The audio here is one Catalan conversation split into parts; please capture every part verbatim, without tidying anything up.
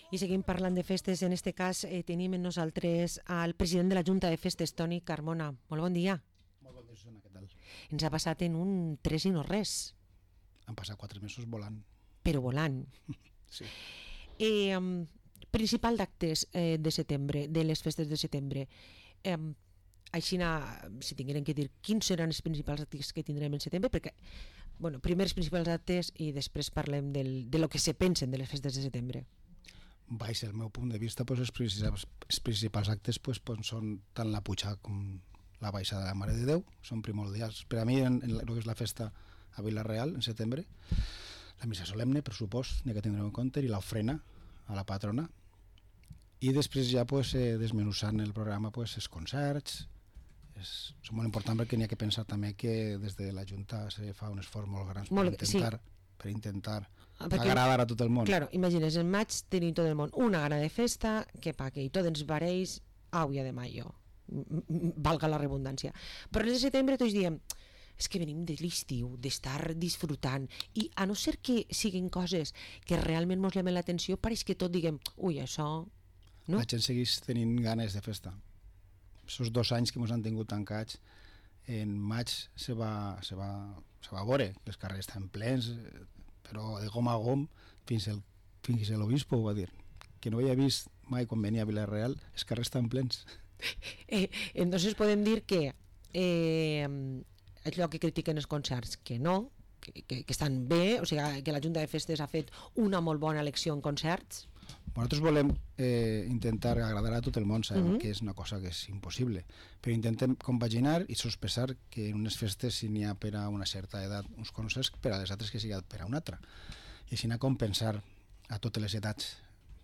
I seguim parlant de festes. En este cas eh, tenim en nosaltres al president de la Junta de Festes, Toni Carmona. Molt bon dia. Molt bon dia, Susana, què tal? Ens ha passat en un tres i no res. Han passat quatre mesos volant. Però volant. Sí. Eh, um, principal d'actes eh, de setembre, de les festes de setembre. Eh, així, si tinguérem que dir quins seran els principals actes que tindrem en setembre, perquè, bueno, primer els principals actes i després parlem del, de lo que se pensen de les festes de setembre. Baix el meu punt de vista, pues, els, principals, els principals actes pues, pues, són tant la pujada com la baixada de la Mare de Déu, són primordials. Per a mi, en, en el que és la festa a Vila-real, en setembre, la missa solemne, per supost, n'hi ha que tindrem en compte, i l'ofrena a la patrona. I després ja pues, eh, desmenussant el programa pues, els concerts. És, és molt important perquè n'hi ha que pensar també que des de la Junta se fa un esforç molt gran per molt, intentar... Sí. per intentar perquè, agradar a tot el món. Claro, imagines, en maig tenim tot el món una gana de festa, que pa que tots ens varells auia de mayo, valga la redundància. Però el de setembre tots diem, és que venim de l'estiu, d'estar disfrutant, i a no ser que siguin coses que realment mos llamen l'atenció, pareix que tot diguem, ui, això... No? La gent segueix tenint ganes de festa. Aquests dos anys que ens han tingut tancats, en maig se va, se va, se va veure que els carrers estan plens, però de gom a gom, fins el, fins l'obispo ho va dir, que no havia vist mai quan venia a Vila-real, els carrers estan plens. Eh, entonces podem dir que eh, allò que critiquen els concerts, que no, que, que, que estan bé, o sigui que la Junta de Festes ha fet una molt bona elecció en concerts. Nosaltres volem eh, intentar agradar a tot el món, sabem uh-huh. que és una cosa que és impossible, però intentem compaginar i sospesar que en unes festes si n'hi ha per a una certa edat uns concerts, per a les altres que sigui per a una altra, i així anar a compensar a totes les edats.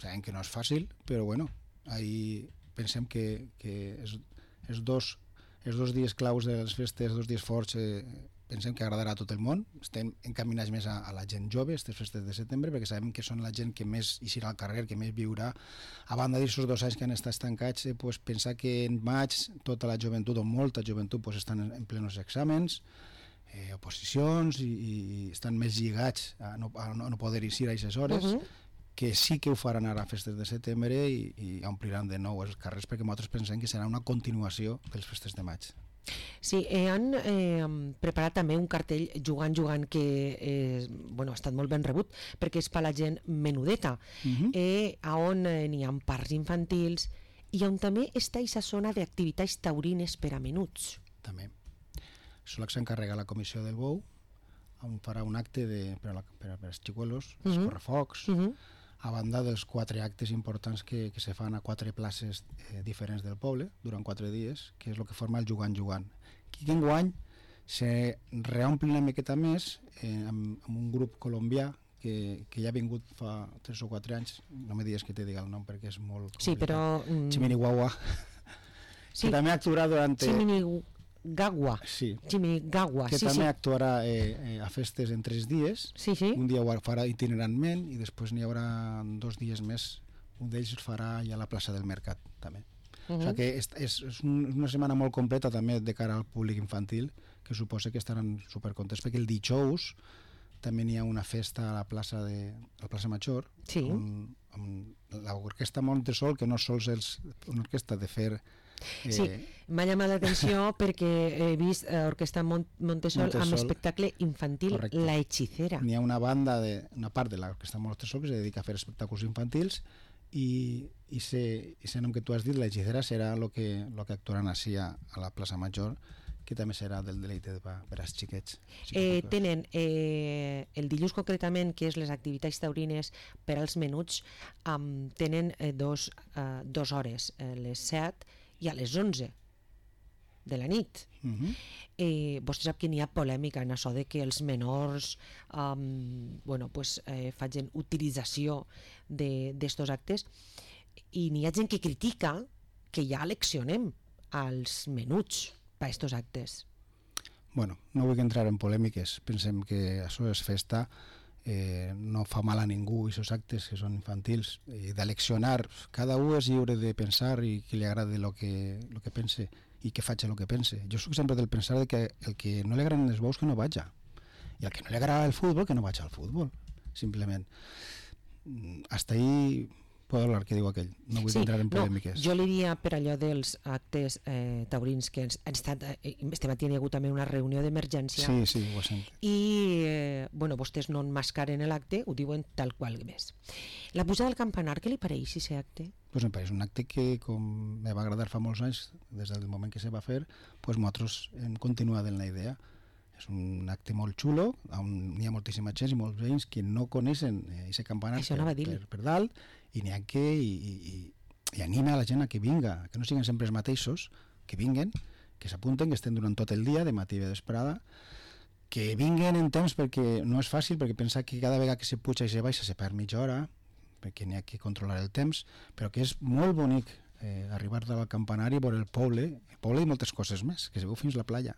Sabem que no és fàcil, però bueno, ahí pensem que, que els, els, dos, els dos dies claus de les festes, els dos dies forts, eh, pensem que agradarà a tot el món. Estem encaminats més a, a la gent jove, aquestes festes de setembre, perquè sabem que són la gent que més eixirà al carrer, que més viurà. A banda d'aquests dos anys que han estat estancats, eh, pues, pensar que en maig tota la joventut, o molta joventut, pues, estan en, en plenos exàmens, eh, oposicions, i, i estan més lligats a no, a no poder eixir a aquestes hores, uh-huh. que sí que ho faran ara a festes de setembre i, i ompliran de nou els carrers, perquè nosaltres pensem que serà una continuació de les festes de maig. Sí, eh, han eh, preparat també un cartell Jugant, Jugant, que eh, bueno, ha estat molt ben rebut, perquè és per la gent menudeta, uh-huh. eh, on eh, n'hi ha parcs infantils i on també està aquesta zona d'activitats taurines per a menuts. També. Això s'encarrega la Comissió del Bou, on farà un acte de, per, a la, per, a, per als xicuelos, uh-huh. els correfocs, uh-huh. a banda dels quatre actes importants que, que se fan a quatre places eh, diferents del poble durant quatre dies, que és el que forma el Jugant Jugant. Aquí enguany se reomple una miqueta més eh, amb, amb un grup colombià que, que ja ha vingut fa tres o quatre anys, no me digues que te diga el nom perquè és molt complicat. Sí, però... Mm... Chiminihuahua, sí. que també actuarà durant... Chiminihuahua. Gagua, sí. Gagua, que sí, també sí. actuarà eh, eh, a festes en tres dies, sí, sí. un dia ho farà itinerantment i després n'hi haurà dos dies més, un d'ells farà ja a la plaça del Mercat també. Uh-huh. O sigui que és, és, és una setmana molt completa també de cara al públic infantil, que suposa que estaran supercontents, perquè el dijous també n'hi ha una festa a la plaça de a la plaça Major, sí. amb, amb l'orquestra Montesol, que no sols és una orquestra de fer... Eh... Sí, m'ha llamat l'atenció perquè he vist eh, Orquestra Mont Montesol, Montesol amb espectacle infantil, correcte. La Hechicera. N'hi ha una banda, de, una part de l'Orquestra Montesol que se dedica a fer espectacles infantils i, i ese nom que tu has dit, La Hechicera, serà el que, lo que actuaran així a, a la plaça Major, que també serà del deleite per, per als xiquets. Eh, tenen eh, el dilluns concretament, que és les activitats taurines per als menuts, um, tenen eh, dos, uh, dos hores, eh, les set i a les onze de la nit. Uh-huh. eh, vostè sap que n'hi ha polèmica en això de que els menors um, bueno, pues, eh, facin utilització d'estos actes, i n'hi ha gent que critica que ja eleccionem als menuts per estos actes. Bueno, no vull entrar en polèmiques, pensem que això és festa, eh, no fa mal a ningú aquests actes que són infantils, i d'eleccionar, cada un és lliure de pensar i que li agradi el que, lo que pense i que faci el que pense. Jo soc sempre del pensar de que el que no li agraden els bous que no vaja, i el que no li agrada el futbol que no vaja al futbol, simplement. Hasta ahí puedo hablar, que diu aquell, no vull Sí, entrar en no, polèmiques. jo li diria per allò dels actes eh, taurins que ens, han estat, eh, este matí hi ha hagut també una reunió d'emergència Sí, sí, ho sent. i eh, bueno, vostès no enmascaren l'acte, ho diuen tal qual més. La pujada del campanar, què li pareix aquest acte? Pues me pareix un acte que, com me va agradar fa molts anys, des del moment que se va fer, pues nosaltres hem continuat en la idea. És un acte molt xulo, on hi ha moltíssima gent i molts veïns que no coneixen aquest campanar Això per, anava a dir-li. per, per dalt, i n'hi ha que i, i, i anima a la gent a que vinga, que no siguin sempre els mateixos, que vinguen, que s'apunten, que estem durant tot el dia, de matí i de vesprada, que vinguen en temps, perquè no és fàcil, perquè pensar que cada vegada que se puja i se baixa se perd mitja hora, perquè n'hi ha que controlar el temps, però que és molt bonic eh, arribar al campanari, veure el poble, el poble i moltes coses més, que se veu fins a la playa.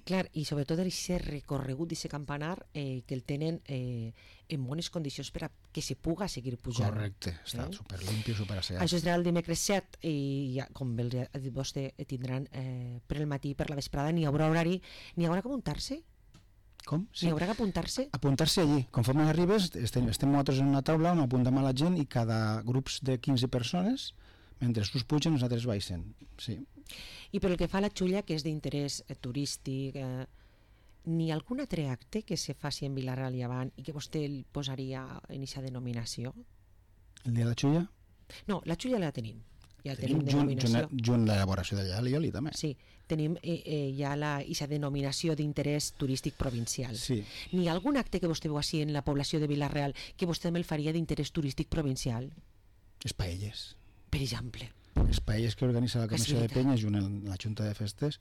Clar, i sobretot aquest recorregut d'aquest campanar eh, que el tenen eh, en bones condicions per a que se puga seguir pujant. Correcte, està Eh? superlimpio, superasseat. Això serà el dimecres set i ja, com bé ha dit vostè, tindran eh, per el matí, per la vesprada, n'hi haurà horari, n'hi haurà que apuntar-se? Com? Sí. N'hi haurà que apuntar-se? Apuntar-se allí. Conforme arribes, estem, estem nosaltres en una taula on apuntem a la gent i cada grups de quinze persones, mentre us pugen, nosaltres baixen. Sí. I pel que fa a la xulla, que és d'interès eh, turístic, eh, n'hi ha algun altre acte que se faci en Vilarreal i avant i que vostè el posaria en aquesta denominació? El dia de la xulla? No, la xulla la tenim. Ja Tenim tenim junt, denominació. junt, junt l'elaboració del Llalioli, també. Sí, tenim eh, eh, ja la, aquesta denominació d'interès turístic provincial. Sí. N'hi ha algun acte que vostè veu així en la població de Vilarreal que vostè també el faria d'interès turístic provincial? Les paelles. Per exemple. Les paelles que organitza la És Comissió de veritat. Penyes junt amb la Junta de Festes.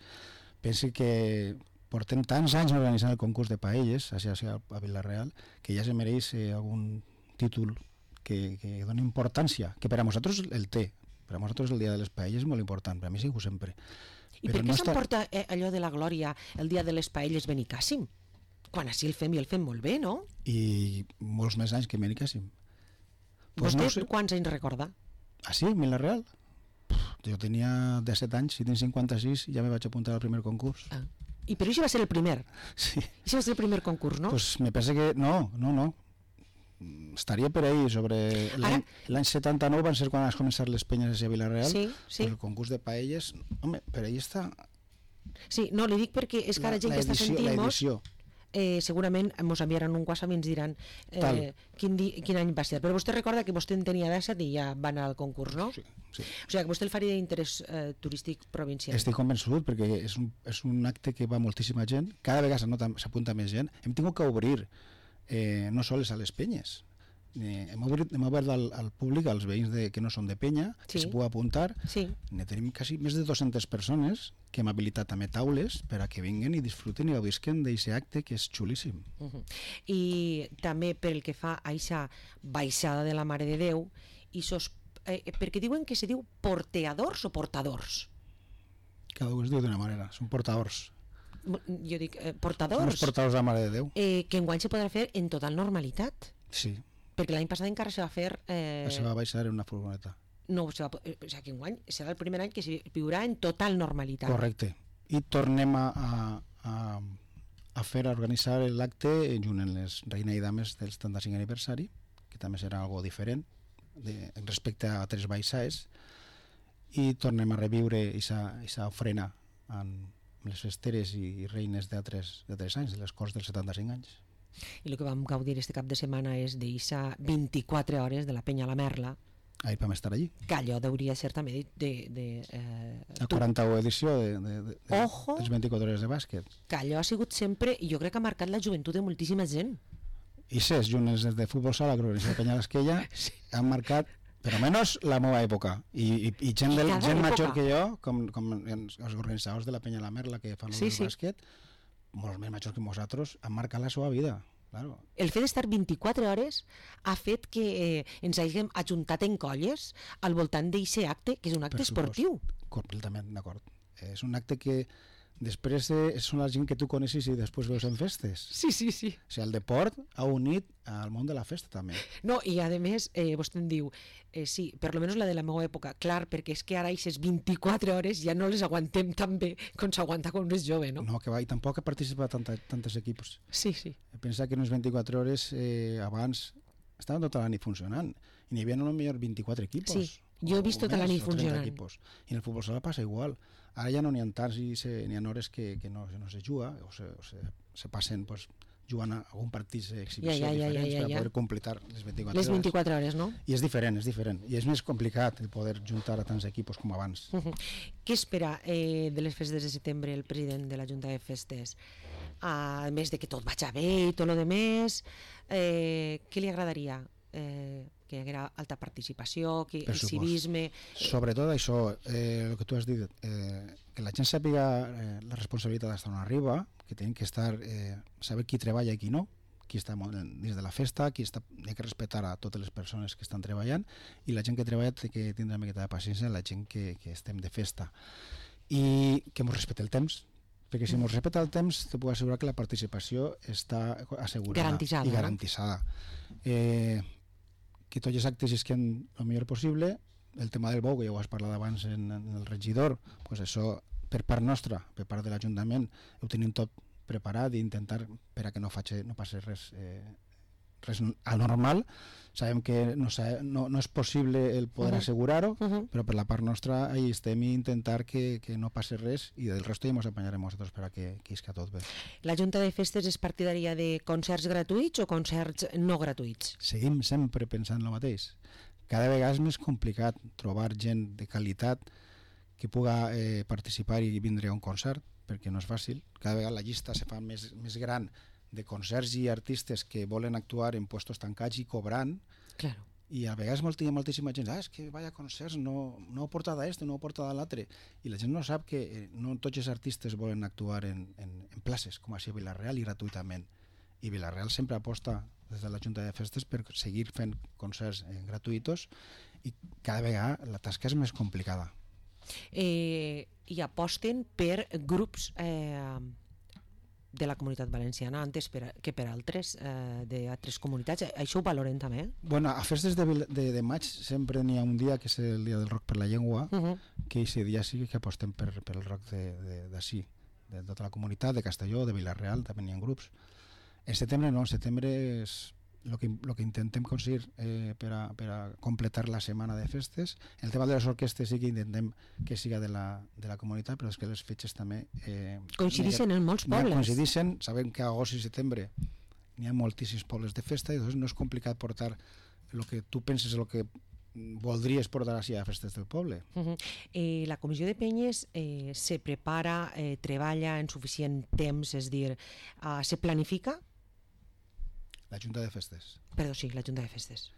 Pensi que portem tants anys organitzant el concurs de paelles a, a Vilarreal que ja se mereix eh, algun títol que, que doni importància, que per a nosaltres el té. Per a nosaltres el dia de les paelles és molt important, per a mi sigo sempre. I Però per què no està- s'emporta eh, allò de la glòria el dia de les paelles Benicàssim? Quan així el fem i el fem molt bé, no? I molts més anys que Benicàssim. Pues Vostè no sé. quants anys recorda? Ah, sí? Vilarreal? Jo tenia disset anys, si tinc cinquanta-sis ja me vaig apuntar al primer concurs. Ah. I però això va ser el primer. Sí. Això va ser el primer concurs, no? Pues me pensa que... No, no, no. Estaria per ahí, sobre... L'any l'any setanta-nou van ser quan es començar les penyes a Vilarreal. Sí, sí. Pues el concurs de paelles... Home, per ahí està Sí, no, li dic perquè és que la, ara gent la que està edició, la sentint-nos edició. eh, segurament ens enviaran un WhatsApp i ens diran Tal. eh, quin, di, quin any va ser. Però vostè recorda que vostè en tenia disset i ja va anar al concurs, no? Sí, sí. O sigui que vostè el faria d'interès eh, turístic provincial. Estic convençut perquè és un, és un acte que va moltíssima gent, cada vegada s'anota- s'apunta més gent. Hem tingut que obrir eh, no sols a les penyes, eh, hem obert, hem obert al, al públic, als veïns de, que no són de penya, Sí. que se pugui apuntar. Sí. Ne tenim quasi més de dues-centes persones que hem habilitat també taules per a que vinguen i disfruten i gaudisquen d'aquest acte que és xulíssim. Uh -huh. I també pel que fa a aquesta baixada de la Mare de Déu, i sos, eh, perquè diuen que se diu porteadors o portadors. Cada un es diu d'una manera, són portadors. Jo dic eh, Són els portadors, portadors de la Mare de Déu. eh, que enguany se podrà fer en total normalitat, Sí, perquè l'any passat encara se va fer... Eh, se va baixar en una furgoneta. no, se va, eh, o sigui que enguany serà el primer any que se viurà en total normalitat. Correcte. I tornem a, a, a, a fer, a organitzar l'acte junt amb les Reina i Dames del setanta-cinquè aniversari, que també serà algo diferent de, respecte a tres baixades, i tornem a reviure aquesta ofrena amb les festeres i reines d'altres anys, de les Corts dels setanta-cinc anys. I el que vam gaudir este cap de setmana és d'eixa vint-i-quatre hores de la Penya a la Merla, Ahir vam estar allí. que allò hauria ser també de... de, de eh, La tu- quaranta-una edició de, de, de, de, Ojo. dels vint-i-quatre hores de bàsquet. que allò ha sigut sempre, i jo crec que ha marcat la joventut de moltíssima gent. I ses, junt els de futbol sala, que organitza Penya l'Esquella, sí. han marcat, per almenys, la meva època. I, i, i gent, del, Cada gent època. major que jo, com, com els organitzadors de la Penya la Merla, que fan Sí, el sí. bàsquet, molts més majors que nosaltres, han marcat la seva vida. Claro. El fet d'estar vint-i-quatre hores ha fet que eh, ens hàgim ajuntat en colles al voltant d'aquest acte, que és un acte Per supost. esportiu. Completament d'acord. És un acte que després de, són la gent que tu coneixes i després veus en festes. Sí, sí, sí. O sigui, el deport ha unit al món de la festa també. No, i a més, eh, vostè em diu, eh, sí, per lo menos la de la meva època, clar, perquè és que ara aquestes vint-i-quatre hores ja no les aguantem tan bé com s'aguanta quan un és jove, no? No, que va, i tampoc ha participat tanta, tantes equips. Sí, sí. Pensa que en les vint-i-quatre hores eh, abans estaven tota la nit funcionant i n'hi havia a lo millor vint-i-quatre equipos. Sí, jo he vist tota la nit funcionant. Equipos. I en el futbol sala passa igual. Ara ja no n'hi ha tants i se, n'hi ha hores que, que no, no se juga o se, o se, se passen pues, jugant a algun partit d'exhibició ja, ja, diferents ja, ja, ja, per ja. poder completar les vint-i-quatre les vint-i-quatre hores, no? I és diferent, és diferent. I és més complicat el poder juntar a tants equipos com abans. Uh -huh. Què espera eh, de les festes de setembre el president de la Junta de Festes? A més de que tot vagi bé i tot el demés, eh, què li agradaria? Eh, que hi haguera alta participació, que el civisme... Sobretot això, eh, el que tu has dit, eh, que la gent sàpiga eh, la responsabilitat d'estar on arriba, que tenen que estar, eh, saber qui treballa i qui no, qui està dins de la festa, qui està, hi ha que respectar a totes les persones que estan treballant, i la gent que treballa té que tindre una miqueta de paciència, la gent que, que estem de festa. I que ens respecte el temps, perquè si ens respecta el temps te puc assegurar que la participació està assegurada garantitzada, i garantitzada. No? Eh, que tots els actes isquen el millor possible. El tema del bou, que ja ho has parlat abans en, en el regidor, pues això per part nostra, per part de l'Ajuntament, ho tenim tot preparat i intentar per a que no, faci, no passi res, eh, res anormal. Sabem que no, no, no és possible el poder uh -huh. assegurar-ho, uh -huh. però per la part nostra ahí estem i intentar que, que no passi res i del resto ja ens apanyarem nosaltres per a que, que isca tot bé. La Junta de Festes és partidària de concerts gratuïts o concerts no gratuïts? Seguim sempre pensant el mateix. Cada vegada és més complicat trobar gent de qualitat que puga eh, participar i vindre a un concert, perquè no és fàcil. Cada vegada la llista se fa més, més gran de concerts i artistes que volen actuar en puestos tancats i cobrant. Claro. I a vegades molt, hi ha moltíssima gent, ah, és que vaya concerts, no, no ho porta d'este, no ho porta de l'altre. I la gent no sap que eh, no tots els artistes volen actuar en, en, en places, com així a Vila-real i gratuïtament. I Vila-real sempre aposta des de la Junta de Festes per seguir fent concerts eh, gratuïtos i cada vegada la tasca és més complicada. Eh, i aposten per grups eh, de la comunitat valenciana antes per, que per altres eh, d'altres comunitats. Això ho valoren també? Bueno, a festes de, de, de maig sempre n'hi ha un dia que és el dia del rock per la llengua, uh -huh. que aquest dia sí que apostem per, per el rock d'ací, de, de, de tota la comunitat, de Castelló, de Vila-real, també n'hi ha grups. En setembre no, en setembre és el que, lo que intentem aconseguir eh, per, a, per a completar la setmana de festes. El tema de les orquestes sí que intentem que siga de la, de la comunitat, però és que les fetges també... Eh, coincidixen en molts pobles. Coincidixen, sabem que a agost i setembre n'hi ha moltíssims pobles de festa i doncs no és complicat portar el que tu penses, el que voldries portar així a festes del poble. Uh -huh. eh, la comissió de penyes eh, se prepara, eh, treballa en suficient temps, és dir, eh, se planifica? La Junta de Festes. Perdó, sí, la Junta de Festes.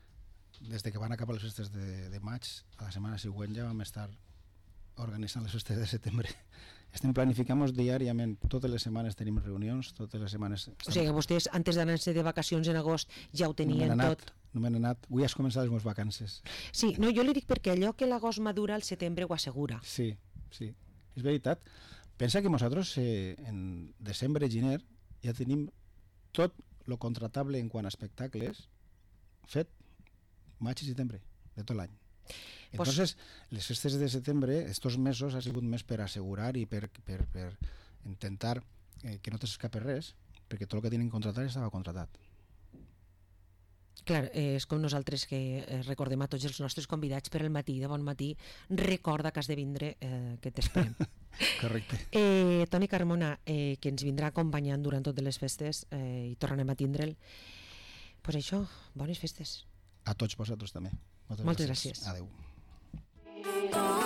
Des de que van acabar les festes de, de maig, a la setmana següent ja vam estar organitzant les festes de setembre. Estem planificant diàriament, totes les setmanes tenim reunions, totes les setmanes... O sigui que vostès, antes d'anar-se de vacacions en agost, ja ho tenien no anat, tot. No m'han anat, avui has començat les meves vacances. Sí, no, jo li dic perquè allò que l'agost madura, el setembre ho assegura. Sí, sí, és veritat. Pensa que nosaltres eh, en desembre i gener ja tenim tot lo contratable en quant a espectacles fet maig i setembre de tot l'any. Entonces, pues, les festes de setembre, estos mesos ha sigut més per assegurar i per, per, per intentar eh, que no t'escape res, perquè tot el que tenen contratat estava contratat. Clar, eh, és com nosaltres que eh, recordem a tots els nostres convidats per el matí, de bon matí, recorda que has de vindre, eh, que t'esperem. Correcte. Eh, Toni Carmona, eh, que ens vindrà acompanyant durant totes les festes eh, i tornarem a tindre'l. Doncs pues això, bones festes. A tots vosaltres també. Moltes, Moltes gràcies. gràcies. Adéu.